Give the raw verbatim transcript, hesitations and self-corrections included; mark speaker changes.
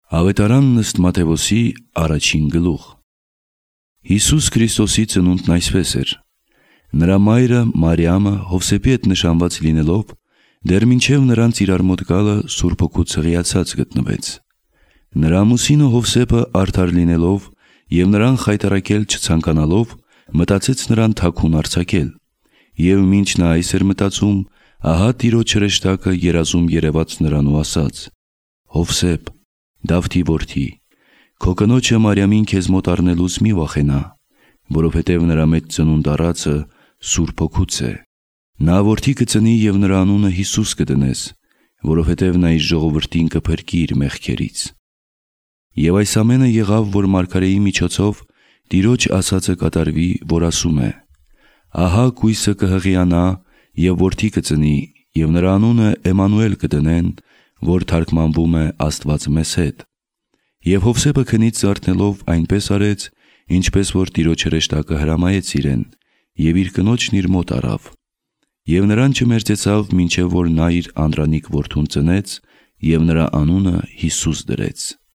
Speaker 1: Ավետարանն ըստ Մատթեոսի առաջին գլուխ։ Հիսուս Քրիստոսի ծնունդն այսպես էր. նրա մայրը Մարիամը Հովսեփի հետ նշանված լինելով, դեռ մինչև նրանց իրար մոտ գալը Սուրբ Հոգուց հղիացած գտնվեց։ Նրա ամուսինը Հովսեփը արդար լինելով և նրան խայտառակել չցանկանալով, մտածեց նրան թաքուն արձակել, և մինչ նա այս էր մտածում, ահա Տիրոջ հրեշտակը երազում երևաց նրան ու ասաց. «Հովսեփ, Դավթի որդի, քո կնոջը Մարիամին քեզ մոտ առնելուց մի վախենա, որովհետև նրա մեջ ծնունդ առածը Սուրբ Հոգուց է։ Նա որդի կծնի և նրա անունը Հիսուս կդնես, որովհետև նա իր ժողովրդին կփրկի իր մեղքերից»։ Եվ այս ամենը եղավ, որ մարգարեի միջոցով Տիրոջ ասածը կատարվի, որ ասում է. «Ահա կույսը կհղիանա և որդի կծնի, և նրա անունը Էմմանուել կդնեն, որ թարգմանվում է Աստված մեզ հետ»։ Եվ Հովսեփը քնից զարթնելով այնպես արեց, ինչպես որ Տիրոջ հրեշտակը հրամայեց իրեն, և իր կնոջն իր մոտ առավ։ Եվ նրան չմերձեցավ, մինչև որ նա իր անդրանիկ որդուն ծնեց, և նրա անունը Հիսուս դրեց։